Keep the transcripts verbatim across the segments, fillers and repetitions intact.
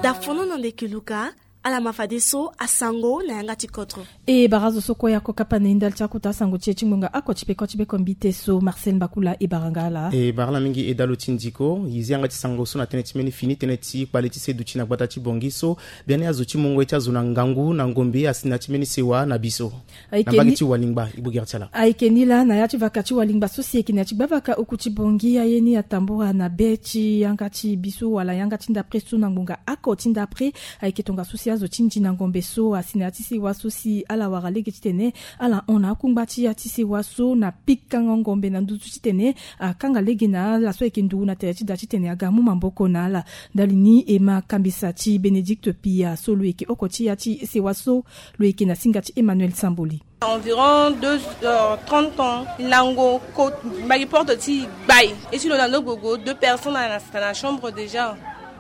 Dafono na ndeke luka. Ala ma fadeso asango na yanga ti kodro. E bara zo so kue ako kapa na e ndali ti akuta asango ti e ti ngbonga oko ti peko ti beko mbite so. Marcel Mbakula, e bara nga ala. E bara ala mingi e dalo ti ndiko. E zi yanga ti sango so na tënë ti mbeni fini tënë ti kpale ti seduti na gbata ti Bongi so. Biani azo ti mungo ye ti azo na ngangu na ngombe asi na ya ti mbeni sewa na biso. Na mbage ti walingba e bogere ti ala. Ayeke ni laa na ya ti vaka ti walingba so si eke na ya ti gbavaka oku ti Bongi aye ni atambura na be ti yanga ti biso wala yanga ti ndapre so na ngbonga oko ti ndapre. Ayeke tongaso si azo ti ndi na ngombe so asi na ya ti sewa so si ala wara lege titene ala hon na akungba ti ya ti sewa so na pikango ngombe na nduzu titene akanga lege na ala so ayeke nduru na tere ti da titene aga amu maboko na ala. Ndali ni e ma kambisa ti Bénédicte Pia so lo yeke oko ti ya ti sewa so lo yeke na singa ti Emmanuel Samboli. Environ deux heures trente ans, lango ko mbagi porte ti gbai. Et si lo lando gogo, deux personnes à la, à la chambre déjà.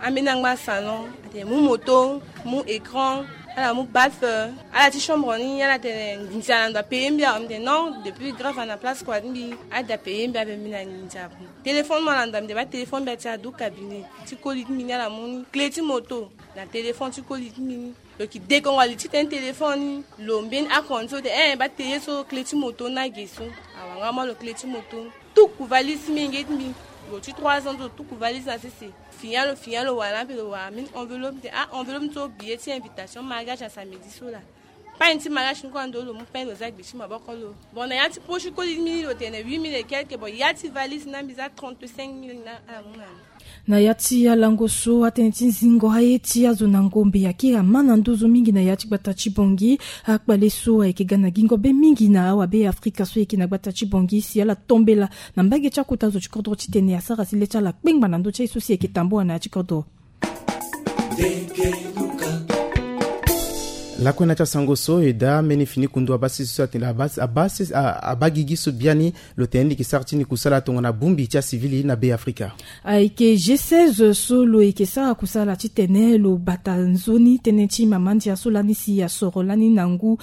Ambeni angba salon, ate mu moto, mu écran, ala mu baffe, ala ti chambre ni, ala tene ndinzi ala ndo apeye mbi. Ala tene non, depuis grave ana place quoi mbi, ala da peye mbi ape mbi na ndinzi ape. Téléphone mo ala ndo mbi ba téléphone mbi ati adu cabinet. Ti koli ti mbi ni ala mu ni clé ti moto na téléphone ti koli ti mbi ni. Lo yeke dekongo ali titene téléphone ni lo mbeni akonde so te eh ba teye so clé ti moto ni na ge so. Awanga mo lo clé ti moto ni tuku valise ti menge ti mbi. Lo ti trois ans so tuku valise na sese. Finya lo finya lo wara na ape lo wara mbeni enveloppe te ah enveloppe ni so billet ti invitation mariage na samedi so laa. Pagne ti mariage ni kue ando lo mu pagne lo za gbe ti maboko lo. Bon na ya ti poche ti koli ti mbi ni lo tene huit mille et quelque. Bon ya ti valise ni na mbi za trente-cinq mille na ala mu na mbi. Na ya ti alango so atënë ti zingo aye ti azo na ngombe ayeke ma na nduzu mingi na ya ti gbata ti Bongi. Akpale so ayeke ga na gingo be mingi na awabe Afrika so ayeke na gbata ti Bongi si ala tombela na mbage ti akota zo ti kodro titene asara si le ti ala kpengba na ndö ti aye so si ayeke tambula na ya ti kodro. Lakue na ti asango so e daa mbeni fini kundu abasi so atene abasi abasi abagigi so biani. Lo tene ni ke sara ti ni kusala tongana bongbi ti asivili na be afrika. Ayeke G seize so lo yeke sara kusala titene lo bata nzoni tënë ti mama ndia so lani si asoro lani na ngu.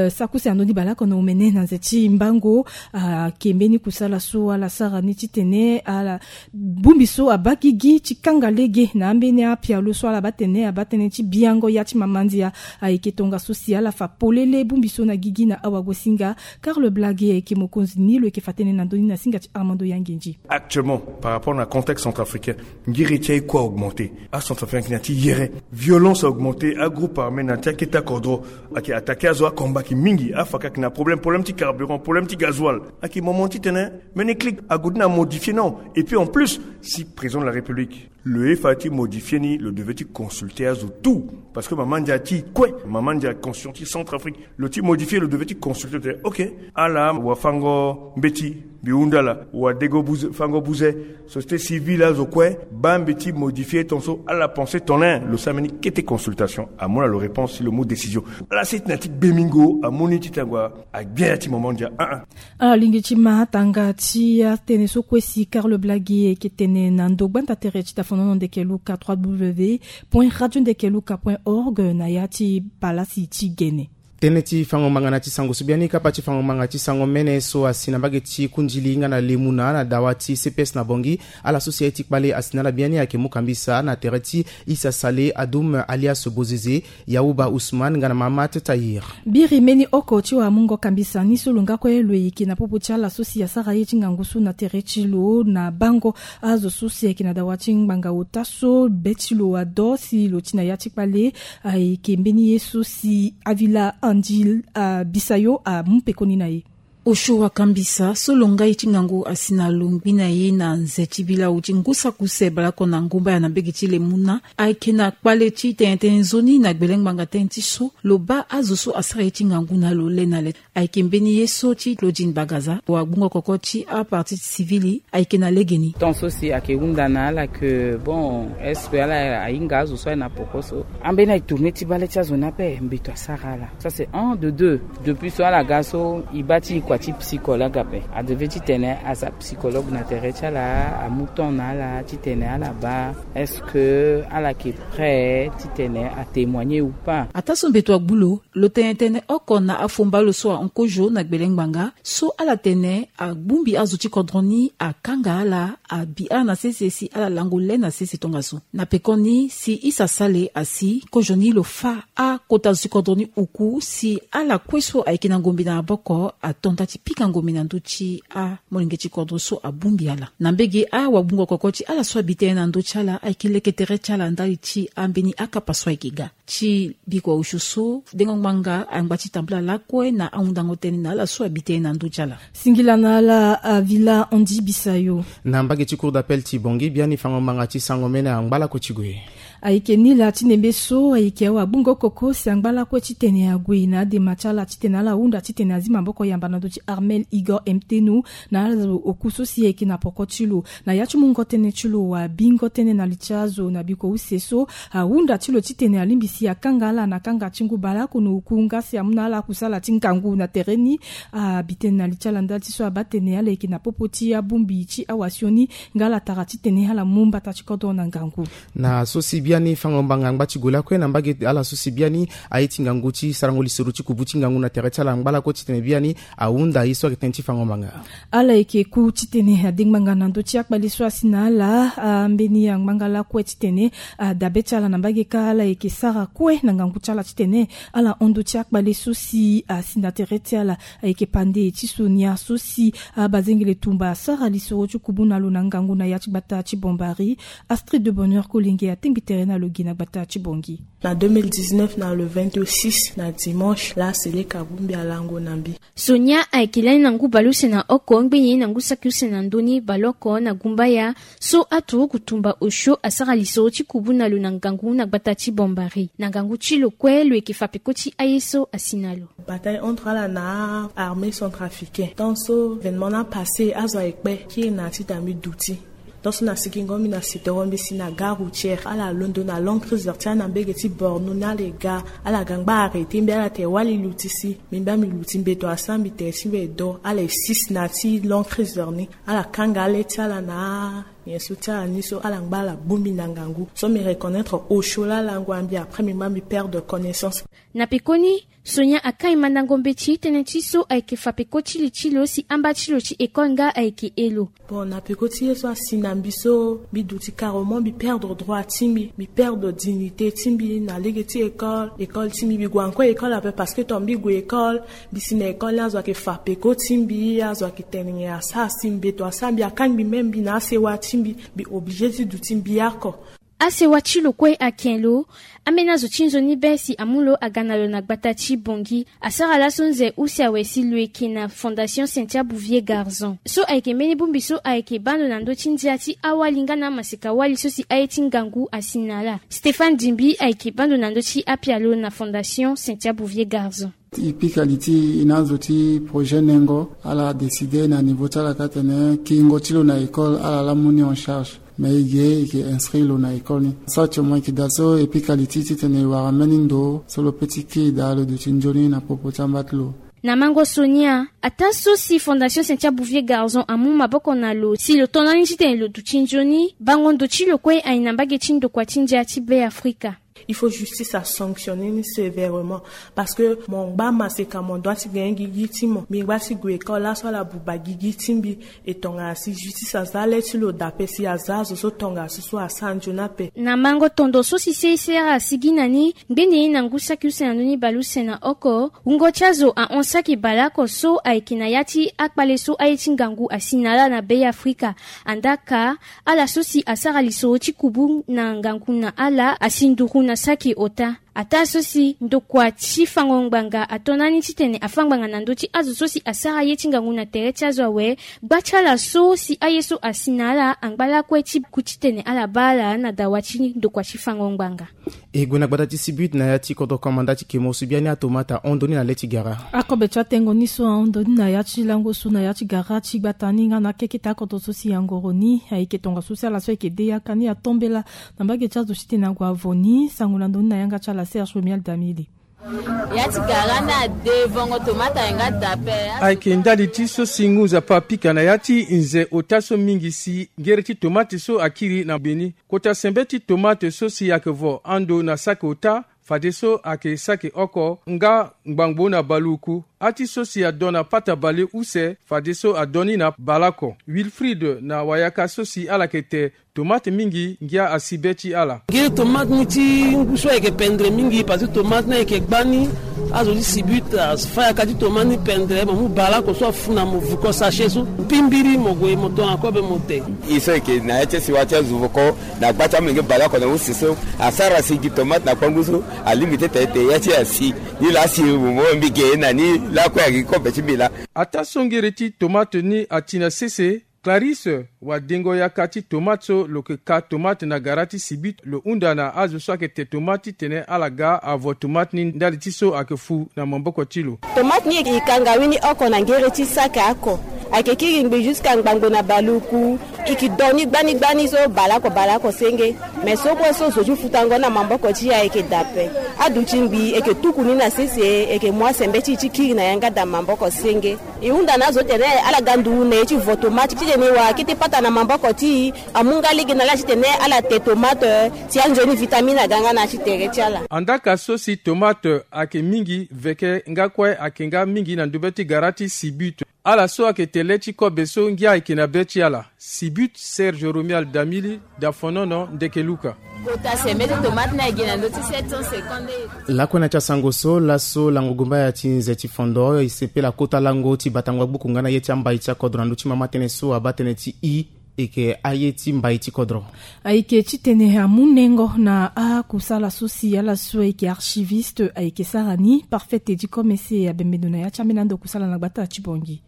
Sakuse ando ni baleoko na omene na nze ti mbango. Ayeke mbeni kusala so ala sara ni titene ala bongbi so abaa gigi ti kanga lege na ambeni apialo so ala baa tene abaa tënë ti biango ya ti mama ndia. Ayeke tongaso si ala fa polele bongbi so na gigi na awagosinga. Karl Blage ayeke mokonzi ni lo yeke fa tënë na ndö ni na singa ti Armando Yangenji. Actuellement, par rapport na contexte centrafricain, ngiri ti aye kue a augmenter. Acentrafricain ayeke na ti yere. Violence a augmenter, agroupe armé na ti akete akodro ayeke attaquer azo, akombaki mingi, afaka ayeke na problème, problème ti carburant, problème ti gasoil. Ayeke moment titene mbeni clic ague ti na modifier non. Et puis en plus, si président de la République lo ye fa ti modifier ni, lo devait ti consulter azo tout. Parce que mama ndia ti kue, mama ndia constitution ti Centrafrique, lo ti modifier, lo devait ti consulter te. Ok, ala wafango mbeti, mbi hunda ala wadego buze, fango buze, société civile, azo kue, baa mbi ti modifier ton so. Ala pensé ton ne lo sara mbeni kete consultation, amu na lo réponse si lo mu décision. Ala seti na ti gbe mingo amu ni ti tango agbia ya ti mama ndia. Ah ah. Alingbi ti ma atanga ti atënë so kue si Karl Blagi ayeke tene na ndo gbanda tere ti dafonono ndeke luka trois w point radio ndeke luka point org na ya ti palasi ti gene. Tënë ti fango ngbanga na ti sango so biani kapa ti fango ngbanga ti sango mene so asi na mbage ti kundili nga na lemuna na dawa ti C P S na Bongi. Ala so si aye ti kpale asi na ala biani ayeke mu kambisa na tere ti Issa Saleh Adoum alias Bozeze, Yaouba Ousmane nga na Mahamat Tahir. Biri mbeni oko ti wamungo kambisa ni so lo nga kue lo yeke na popo ti ala so si asara ye ti ngangu so na tere ti lo na bango azo so si ayeke na dawa ti ngbanga ota so be ti lo ado si lo ti na ya ti kpale. Ayeke mbeni ye so si Avila Andil Bisayo amu pekoni na ye. Osio wakambisa so lo nga ye ti ngangu asi na longbi na ye na nze ti bilau ti ngu saki use baleoko na ngu mbaya na mbege ti lemuna. Ayeke na kpale ti tene tënë nzoni na gbele ngbanga tënë ti so lo baa azo so asara ye ti ngangu na lo le na le. Ayeke mbeni ye so ti Claudine Bagaza wagbungo koko ti aparti ti sivili. Ayeke na legeni. Tant so si ayeke hunda na ala ke bon est-ce que ala ahinga azo so aye na poko so ambeni aye tourner ti bale ti azo ni ape mbeto asara ala. Ça c'est un. De deux, depuis so ala ga so e baa ti e kua Ti psychologue ape, a devait titene aza psychologue na tere ti ala, amu temps na ala titene ala baa est-ce que ala yeke prêt titene atémoigner ou pas. Ataa so mbeto agbu lo, lo tene tënë oko na afomba lo so ahon kozo na gbele ngbanga so ala tene agbongbi azo ti kodro ni, akanga ala, abi ala na sese si ala lango le na sese tongaso. Na pekoni si Issa Sale asi, kozo ni lo fâ akota zo ti kodro ni uku si ala kue so ayeke na ngombe na maboko ato nda ti pika ngombe na ndö ti amolenge ti kodro so abongbi ala. Na mbege awagbungo koko ti ala so abi tënë na ndö ti ala ayeke leke tere ti ala ndali ti ambeni akapa so ayeke ga. Ti bikua osio so dengo ngbanga angba ti tambula lakue na ahundango tënë na ala so abi tënë na ndö ti ala. Singila na ala Avila Andy Bisayo. Na mbage ti cour d'appel ti Bangui, biani fango ngbanga ti sango mene angba lakue ti gue. Ayeke ni laa ti nembe so ayeke awagbungo koko si angba lakue titene ague na adema ti ala titene ala hunda titene azi maboko yamba na ndö ti Armel Igor Mtenu na ala zo oku so si ayeke na poko ti lo. Na ya ti mungo tënë ti lo, abingo tënë na li ti azo na bikua use so ahunda ti lo titene alingbi si akanga ala na kanga ti ngu baleoko na oku nga si amu na ala akusala ti ngangu na tere ni. Abi tënë na li ti ala ndali ti so abaa tene ala yeke na popo ti abongbi ti awasioni nga ala tara titene ala mu mbata ti kodro na ngangu. Na so si biani fango ngbanga angba ti gue lakue na mbage ti ala so si biani aye ti ngangu ti sarango lisoro ti kubu ti ngangu na tere ti ala angba lakue titene biani ahunda ye so ayeke tënë ti fango ngbanga. Ala yeke ku titene ade ngbanga na ndö ti akpale so asi na ala, ambeni angbanga lakue titene adabe ti ala na mbage kâ ala yeke sara kue na ngangu ti ala titene ala hon ndö ti akpale so si asi na tere ti ala. Ayeke pande ti sonia so si abazengele tumba asara lisoro ti kubu na lo na ngangu na ya ti gbata ti Bombari. Astrid de Bonheur Kolenge atengbi tere na lo gi na gbata ti Bangui. Na deux mille dix-neuf, na le vingt-six, na dimanche, la Seleka abongbi alango na mbi. Sonia ayeke lani na ngu baleuse na oko ngbeni na ngu saki use na ndö ni baleoko na gumbaya so aturuku tumba osio asara lisoro ti kubu na lo na ngangu na gbata ti Bombari. Na ngangu ti lo kue lo yeke fa peko ti aye so asi na lo. Bataille entre ala na armée centrafricaine. Tant so événement ni apasse, azo ayeke kpe kiri na ya ti da mbi duti. Tant so na sikingo mbi na sitoro mbi si na gare routière, ala londo na long cruiser ti ala na mbege ti Borno ni, ala ga, ala ga ngba arrêté mbi, ala tene wali luti si. Mbi mbi mbi luti, mbeto asara mbi tere ti mbi edo, ala e six na ya ti long cruiser ni. Ala kanga ale ti ala na nyen so ti ala ni so, ala ngba ala bongbi na ngangu. So mbi reconnaître osio laa ala ngu na mbi, après mbi mbi mbi perdre connaissance. Na pekoni, Sonia akai mandango mbeti tënë ti so ayeke fa peko ti li ti lo si amba ti lo ti école nga ayeke he lo. Bon, na peko ti ye so asi na mbi so, mbi duti carrément, mbi perdre droit ti mbi, mbi perdre dignité ti mbi na lege ti école, école ti mbi, mbi gue encore école ape parce que tant mbi gue école, mbi si na école ni azo ayeke fa peko ti mbi, azo ayeke tene nyen asara si mbeto asara mbi, akangbi même mbi na asewa ti mbi, mbi obligé ti duti mbi oko. Asewa ti lo kue ake lo, ambeni azo ti nzoni be si amu lo aga na lo na gbata ti Bangui. Asara laso nze use awe si lo yeke na Fondation Cynthia Bouvier Garçon. So ayeke mbeni bongbi so ayeke baa ndo na ndö ti ndia ti awali nga na amaseka wali so si aye ti ngangu asi na ala. Stéphane Dimbi ayeke baa ndo na ndö ti apialo na Fondation Cynthia Bouvier Garçon. E pika li ti e na azo ti projet nengo, ala décider na niveau ti ala kâ tene kiringo ti lo na école ala la mu ni en charge. Mais e ge e ke inscrire lo na école ni. Sara ti mo e ke daa so e pika li ti titene e wara mbeni ndo so lo peut ti kiri daa lo duti nzoni na popo ti amba ti lo. Na mango so ni, ataa so si Fondation Cynthia Bouvier Garçon amu maboko na lo si lo to na ni titene lo duti nzoni, bango ndo ti lo kue aye na mbage ti ndokua ti ndia ti Be Afrika. Il faut justice asanctionner ni sévèrement. Parce que mo ngba maseka, mo doit ti gagner gigi ti mo. Mbi ngba ti gue école laso ala buba gigi ti mbi. E tongana si justice aza le ti lo dape si aza azo so tongana so so asara nzoni ape. Na mango tondo so si C I C R asigi na ni ngbeni na ngu saki use na ndoni baleuse na oko, wungo ti azo ahon saki baleoko so ayeke na ya ti akpale so aye ti ngangu asi na ala na Be Afrika. Andaa ka ala so si asara lisoro ti kubu na ngangu na ala asi nduru na saki ota. Ataa so si ndokua ti fango ngbanga ato na ni titene afâ ngbanga na ndö ti azo so si asara ye ti ngangu na tere ti azo awe, gba ti ala so si aye so asi na ala angba lakue ti ku titene ala baa ala na dawa ti ndokua ti fango ngbanga. E gue na gbata ti Sibut na ya ti kodro komanda ti Kemo so biani atomata ahon ndo ni na le ti gara. Akobe ti atengo ni so ahon ndo ni na ya ti lango so na ya ti gara ti gbata ni nga na akeketa akodro so si angoro ni ayeke tongaso si ala so ayeke de yaka ni atombela na mbage ti azo titene ague avo ni. Sango na ndo ni na yanga ti ala Serge Romuald Damili. Ya ti gara ni ade vongo tomate aye nga dape. Ayeke ndali ti so si ngu nzapa apika na ya ti nze ota so mingi si ngere ti tomate so akiri na mbeni. Kota sembe ti tomate so si ayeke vo ando na saki ota fadeso ayeke saki oko nga ngbangbo na baluku. Ati so si adon na pata bale use fadeso adon ni na baleoko. Wilfrid na wayaka so si ala yeke te tomate mingi ngia asi be ti ala. Ngiri tomate ni ti ngu so ayeke pendre mingi parce que tomate ni ayeke gbani. Azo ti sibute afa yaka ti tomate ni pendre mo mu baleoko so afu na mo vuko sachet so mpimbiri mo gue mo to na kobe mo te. E so ayeke na ya ti asi wa ti azo vuko na gba ti amolenge baleoko na use so asara si gi tomate na kpangu so alingbi ti tene te ya ti asi. Ni laa si mo mo mbi ge na ni lakue ayeke kobe ti mbi laa. Ataa so ngere ti tomate ni ati na sese. Clarisse wadengo yaka ti tomate so lo yeke ka tomate na gara ti sibit lo hunda na azo so ayeke te tomate titene ala ga avo tomate ni ndali ti so ayeke fu na maboko ti lo. Tomate ni e ka ngawini oko na ngere ti saka oko. Ayeke kiri ngbi jusqu'à ngbangbo na baluku. E ke do ni gbani gbani so baleoko baleoko senge. Me so kue so zo ti futango na maboko ti e ayeke dape. Aduti ngbi e ke tuku ni na sese e ke mu asembeti ti kiri na yanga da maboko senge. E hunda na azo titene ala ga nduru na e ti vo tomate titene e wara kete pata na maboko ti e. Amu nga lege na ala titene ala te tomate si anzoni vitamine aga nga na ya ti tere ti ala. Andaka so si tomate ayeke mingi veke nga kue ayeke nga mingi na ndumbe ti gara ti sibut. Ala so ayeke te le ti kobe so ngia ayeke na be ti ala. Sibut serge romial damili dafonono ndeke luka. Kota sembe ti tomate ni ayeke na ndö ti sept cent cinquante. Lakue na ti asango so laso lango gumbaya ti nze ti fondo e sepela kota lango ti batango agbuku nga na ye ti ambai ti akodro na ndö ti mama tënë so abaa tënë ti i. Eke aye ti mbai ti kodro. Ayeke titene amu nengo na akusala so si ala so ayeke archiviste ayeke sara ni parfait tedi komese abembendo na ya ti ambeni ando kusala na gbata ti bongi.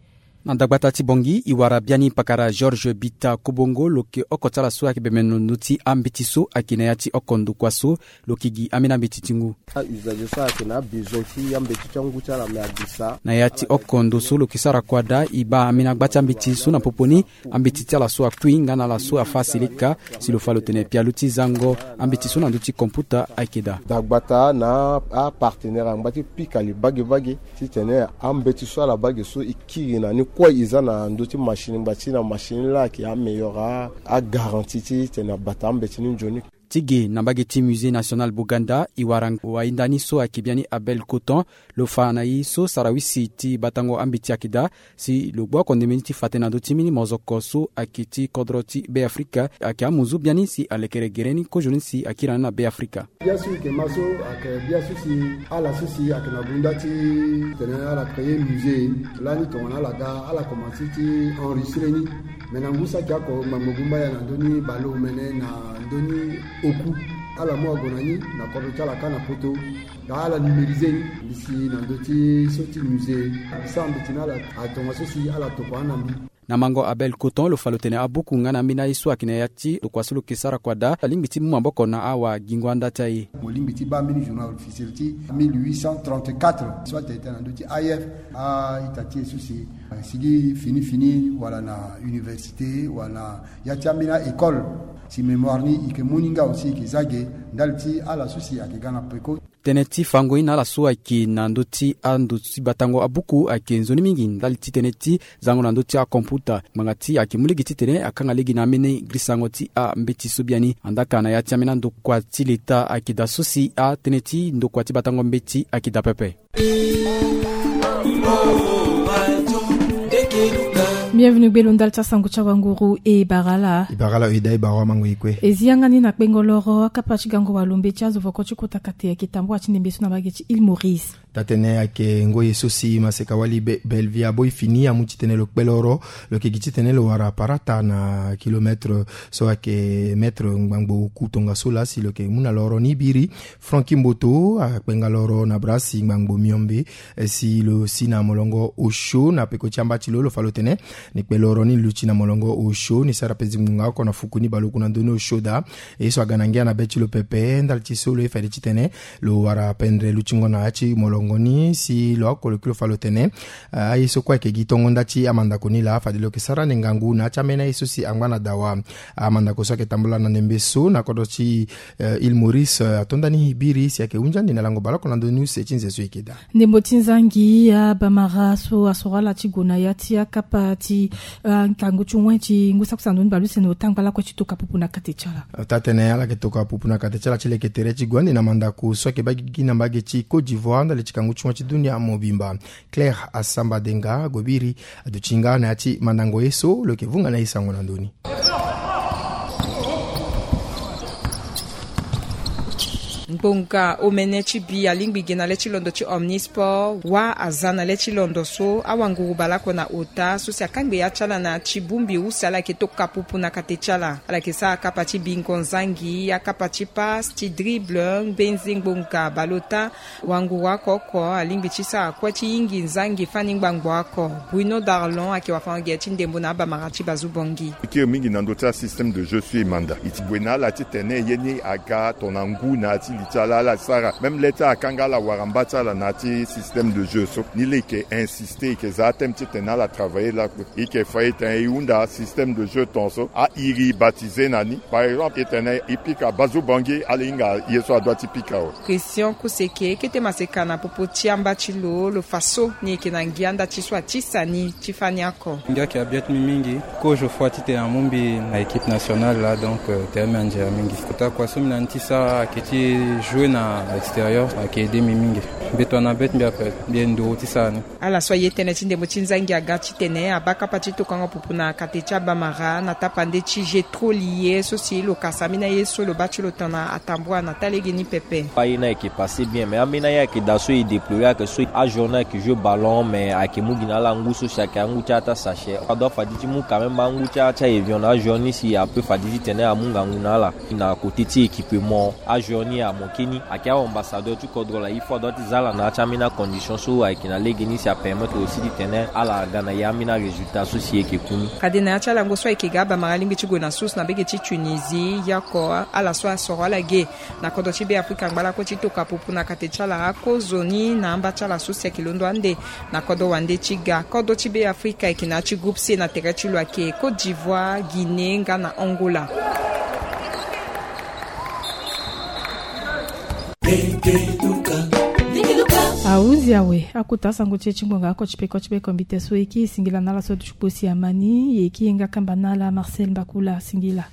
Na dagbata ti bongi e wara biani pakara georges bita kobongo lo yeke oko ti ala so ayeke bembendo ndö ti ambeti so ayeke na ya ti oko ndokua so lo yeke gi ambeni ambeti ti ngu. Auzage so ayeke na abesoin ti ambeti ti angu ti ala me abisa. Na ya ti oko ndo so lo yeke sara kua daa e baa ambeni agba ti ambeti so na popo ni. Ambeti ti ala so akui nga na ala so afa asilika si lo fa lo tene pialo ti zango ambeti so na ndö ti komputa ayeke daa. Dagbata na apartenaire angba ti pika li bagebage titene ambeti so ala bage so e kiri na ni kue e za na ndö ti machine ngba ti na machine laa ayeke ameilleur agaranti titene abata ambeti ni nzoni. Ti ge na mbage ti musée national boganda e wara wainda ni so ayeke biani abel coton. Lo fa na e so sarawisi ti batango ambeti ayeke daa si lo gbu oko ndembe ni ti fa tënë na ndö ti mbeni mozoko so ayeke ti kodro ti be afrika. Ayeke amuzu biani si alekere gere ni kozoni si akiri na ni na be afrika. Bia so e yeke ma so ayeke bia so si ala so si ayeke na gunda ti tene ala créer musée lani tongana ala ga ala komanse ti enregistre ni. Me na ngu saki oko ngbangbo gumba ya na ndö ni baleomene na ndö ni oku ala mu ago na ni na kodro ti ala kâ na poto. Nga ala numériser ni mbi si na ndö ti so ti musée. Mbi sara mbeti na ala atongaso si ala tokua na mbi. Na mango abel coton lo fa lo tene abuku nga na ambeni aye so ayeke na ya ti tokua so lo yeke sara kua daa alingbi ti mu maboko na awagingo anda ti aye. Mo lingbi ti baa mbeni journal officiel ti mille huit cent trente-quatre so atene tene na ndö ti aif a-ita ti e so si sigi fini fini wala na université wala na ya ti ambeni a-école. Si mémoire ni e yeke mu ni nga aussi e yeke za ge ndali ti ala so si ayeke ga na peko. Tënë ti fango ye na ala so ayeke na ndö ti ando ti batango abuku ayeke nzoni mingi ndali ti tënë ti zango na ndö ti akomputa ngbanga ti ayeke mu lege titene akanga lege na ambeni girisango ti ambeti so biani. Andaka na ya ti ambeni andokua ti leta ayeke daa so si atënë ti ndokua ti batango mbeti ayeke daa pepe. Bienvenu gbelo ndali ti asango ti awanguru e bara ala. E bara ala e daa e bara amango e kue. E zi yanga ni na kpengo loro akapa ti gango walombe ti azo voko ti kota kate ayeke tambula ti ndembe so na mbage ti ile maurice. Taa-tënë ayeke ngoi ye so si maseka wali bellevie aboi fini amu titene lo kpe loro. Lo yeke gi titene lo wara parata na kilometre so ayeke metre ngbangbo oku tongaso laa si lo yeke mu na loro ni biri. Franki mboto akpenga loro na brasi ngbangbo miombe si lo si na molongo osio na peko ti amba ti lo lo fa lo tene Ni kpe loro ni luti na molongo osio ni sara pe zingbunga oko na fuku ni baleoko na ndö ni osio daa. E so aga na ngia na be ti lo pepe ndali ti so lo ye fade titene lo wara pendre lutingo na ya ti molongo ni si lo oko lo kiri lo fa lo tene aye so kue ayeke gi tongo nda ti amandako ni laa fade lo yeke sara ni ngangu na ya ti ambeni aye so si angba na dawa. Amandako so ayeke tambula na ndembe so na kodro ti Île Maurice atonda ni biri si ayeke hunzi ande na lango baleoko na ndö ni use ti nze so e yeke daa. Ndembo ti nzangi abamara so asoro ala ti gue na ya ti akapa ti ngangu ti wen ti ngu saki sandu ni baleuse na ota ngbalakue ti toka pupu na kate ti ala. Ota tene ala yeke toka pupu na kate ti ala ti leke tere ti gue ande na mandako so ayeke baa gi na mbage ti Côte d'Ivoire ndali ti kangu ti wen ti dunia mobimba. Claire Asamba Denga ague biri aduti nga na ya ti mandango ye so lo yeke vunga na ye sango na ndö ni. Ngbonga omene ti bi alingbi gi na le ti londo ti Omnisport wa aza na le ti londo so awanguru baleoko na ota so si akangbe ya ti ala na ti bongbi use ala yeke toka pupu na kate ti ala. Ala yeke sara akapa ti bingo nzangi, akapa ti passe, ti dribble, ngbenzengbo nga baleota. Wanguru oko oko alingbi ti sara kue ti yingi nzangi fani ngbangbo oko. Bruno Darlon ayeke wafango-gere ti ndembo na abamara ti Bazu Bongi. E kiri mingi na ndö ti asystème de jeu so e manda. E ti gue na ala titene ye ni aga tongana ngu na ya ti li ti ala ala sara même le ti akanga ala wara mba ti ala na ya ti système de jeu so. Ni laa e yeke insister, e yeke za athème titene ala travailler lakue. E yeke fa e tene e hunda système de jeu tongaso a iri baptisé na ni. Par exemple e tene e pika Bazu Bongi ala hinga ye so adoit ti pika awe. Christian Kuseke kete maseka na popo ti amba ti lo lo fa so ni yeke na ngia nda ti so atisa ni ti fani oko. Ngia ayeke abiet mi mingi. Kozo foi titene amu mbi na équipe nationale laa, donc tere mbi anzera mingi. Kota kua so mbi na ni ti sara ayeke ti jouer na extérieur ayeke aide mbi mingi. Mbi tongana bet mbi ape mbi ye nduru ti sara ni. Ala so aye tënë ti ndembo ti nzangi aga titene abaa kapa ti tokango pupu na kate ti abamara na tapande ti jeu troli ye so si lo kasa ambeni aye so lo baa ti lo tongana atambua na taa lege ni pepe. Aye ni ayeke passe bien mais ambeni aye ayeke daa so e déplorer ayeke so ajour ni ayeke jeu ballon mais ayeke mu gi na ala ngu so si ayeke angu ti ata sachet. Adoit fadi ti mu quand même angu ti ata ti avion na ajour ni si ape fadi titene amu ngangu na ala. Na côté ti équipement ajour ni amoke ni ayeke aambassadeur ti kodro laa il faut adoit ti za ala na ya ti ambeni acondition so ayeke na lege ni si apermettre aussi titene ala aga na ya ambeni arésultat so si e yeke ku ni. Fade na ya ti alango so ayeke ga abamara alingbi ti gue na susu na mbege ti Tunisie. Ye oko ala so asoro ala ge na kodro ti Beafrika ngbalako ti toka pupu na kate ti ala akozo ni na amba ti ala so si ayeke londo ande na kodro wande ti ga. Kodro ti Beafrika ayeke na ya ti groupe C na tere ti lo ayeke Côte d'Ivoire, Guinée nga na Angola. Ahundi awe akota asango ti e ti ngbonga oko ti peko ti peko mbi te so e kiri singila na ala so aduti kpo si amani ye kiri nga kamba na ala Marcel Mbakula singila.